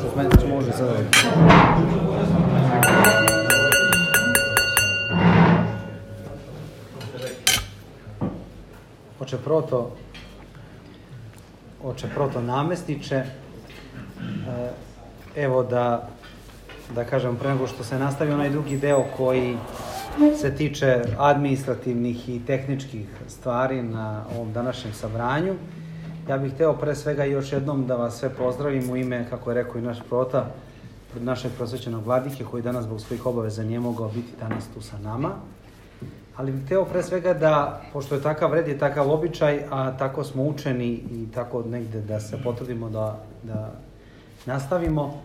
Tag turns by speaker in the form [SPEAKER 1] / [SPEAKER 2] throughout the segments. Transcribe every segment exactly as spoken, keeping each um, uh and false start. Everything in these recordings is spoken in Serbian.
[SPEAKER 1] što sme, može sada. Oče proto, oče proto namestniče, evo da, da kažem, pre nego što se nastavi onaj drugi deo koji se tiče administrativnih i tehničkih stvari na ovom današnjem sabranju, ja bih hteo pre svega još jednom da vas sve pozdravim u ime, kako je rekao i naš prota, našeg prosvećenog vladike koji danas zbog svojih obaveza nije mogao biti danas tu sa nama. Ali bih hteo pre svega da, pošto je takav red i takav običaj, a tako smo učeni i tako negde da se potrudimo da, da nastavimo,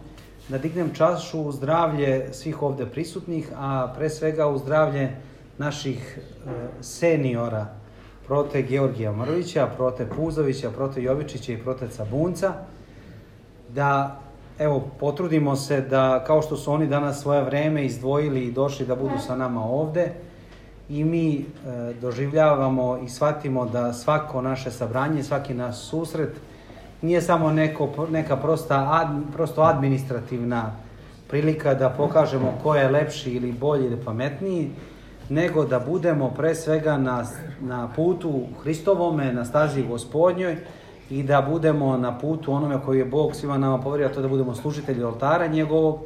[SPEAKER 1] da dignem čašu u zdravlje svih ovde prisutnih, a pre svega u zdravlje naših e, seniora, prote Georgija Mrvića, prote Puzovića, prote Jovičića i prote Cabunca, da evo potrudimo se da, kao što su oni danas svoje vreme izdvojili i došli da budu sa nama ovde, i mi e, doživljavamo i shvatimo da svako naše sabranje, svaki naš susret nije samo neko, neka prosta, ad, prosto administrativna prilika da pokažemo ko je lepši ili bolji ili pametniji, nego da budemo pre svega na, na putu Hristovome, na stazi Gospodnjoj i da budemo na putu onome koji je Bog svima nama poverio, to da budemo služitelji oltara njegovog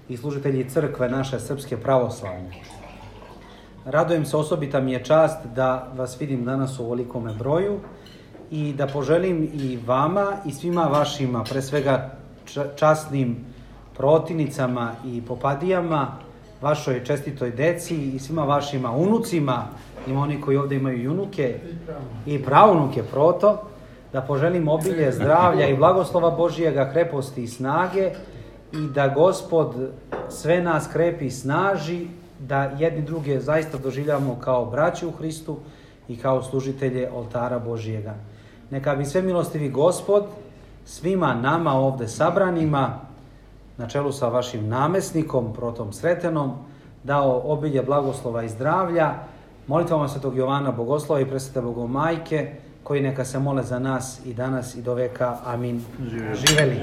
[SPEAKER 1] i služitelji crkve naše srpske pravoslavne. Radujem se, osobita mi je čast da vas vidim danas u ovolikome broju i da poželim i vama i svima vašima, pre svega časnim protivnicama i popadijama, vašoj čestitoj deci i svima vašima unucima, ima oni koji ovde imaju unuke i praunuke proto, da poželim obilje zdravlja i blagoslova Božijega, kreposti i snage i da Gospod sve nas krepi i snaži, da jedni druge zaista doživljamo kao braće u Hristu i kao služitelje oltara Božijega. Neka bi sve milostivi Gospod svima nama ovde sabranima, na čelu sa vašim namesnikom, protom Sretenom, dao obilje blagoslova i zdravlja, molitvama Svetog Jovana Bogoslova i Presvete Bogomajke, koji neka se mole za nas i danas i do veka. Amin. Živeli.